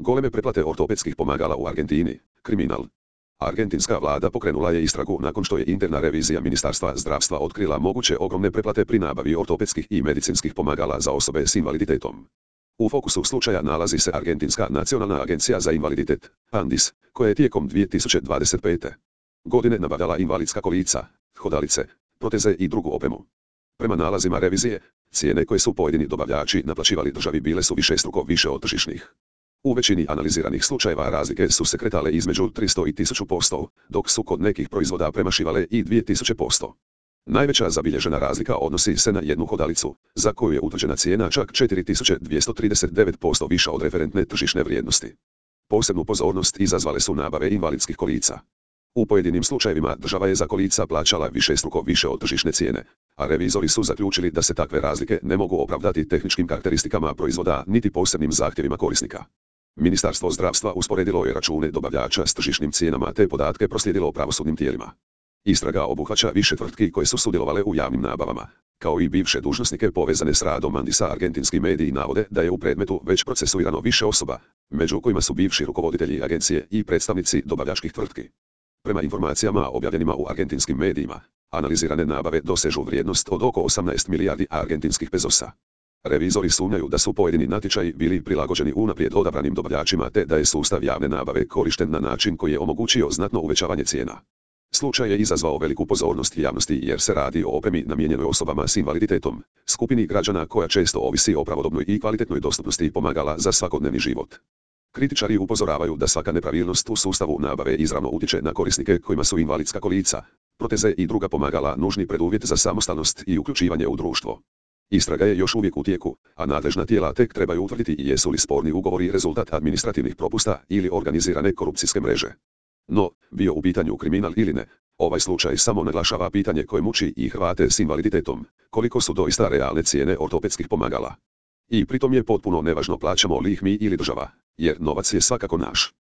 Goleme preplate ortopedskih pomagala u Argentini, kriminal. Argentinska vlada pokrenula je istragu nakon što je interna revizija Ministarstva zdravstva otkrila moguće ogromne preplate pri nabavi ortopedskih i medicinskih pomagala za osobe s invaliditetom. U fokusu slučaja nalazi se Argentinska nacionalna agencija za invaliditet, ANDIS, koja je tijekom 2025. godine nabavljala invalidska kolica, hodalice, proteze i drugu opremu. Prema nalazima revizije, cijene koje su pojedini dobavljači naplaćivali državi bile su višestruko više od tržišnih. U većini analiziranih slučajeva razlike su se kretale između 300 i 1000%, dok su kod nekih proizvoda premašivale i 2000%. Najveća zabilježena razlika odnosi se na jednu hodalicu, za koju je utvrđena cijena čak 4239% viša od referentne tržišne vrijednosti. Posebnu pozornost izazvale su nabave invalidskih kolica. U pojedinim slučajevima država je za kolica plaćala višestruko više od tržišne cijene, a revizori su zaključili da se takve razlike ne mogu opravdati tehničkim karakteristikama proizvoda niti posebnim zahtjevima korisnika. Ministarstvo zdravstva usporedilo je račune dobavljača s tržišnim cijenama te podatke proslijedilo pravosudnim tijelima. Istraga obuhvaća više tvrtki koje su sudjelovale u javnim nabavama, kao i bivše dužnosnike povezane s radom ANDISA. Argentinski mediji navode da je u predmetu već procesuirano više osoba, među kojima su bivši rukovoditelji agencije i predstavnici dobavljačkih tvrtki. Prema informacijama objavljenima u argentinskim medijima, analizirane nabave dosežu vrijednost od oko 18 milijardi argentinskih pezosa. Revizori sumnjaju da su pojedini natječaji bili prilagođeni unaprijed odabranim dobavljačima te da je sustav javne nabave korišten na način koji je omogućio znatno uvećavanje cijena. Slučaj je izazvao veliku pozornost javnosti jer se radi o opremi namijenjenoj osobama s invaliditetom, skupini građana koja često ovisi o pravodobnoj i kvalitetnoj dostupnosti pomagala za svakodnevni život. Kritičari upozoravaju da svaka nepravilnost u sustavu nabave izravno utječe na korisnike kojima su invalidska kolica, proteze i druga pomagala nužni preduvjet za samostalnost i uključivanje u društvo. Istraga je još uvijek u tijeku, a nadležna tijela tek trebaju utvrditi jesu li sporni ugovori rezultat administrativnih propusta ili organizirane korupcijske mreže. No, bio u pitanju kriminal ili ne, ovaj slučaj samo naglašava pitanje koje muči i Hrvate s invaliditetom, koliko su doista realne cijene ortopedskih pomagala. I pritom je potpuno nevažno plaćamo li ih mi ili država, jer novac je svakako naš.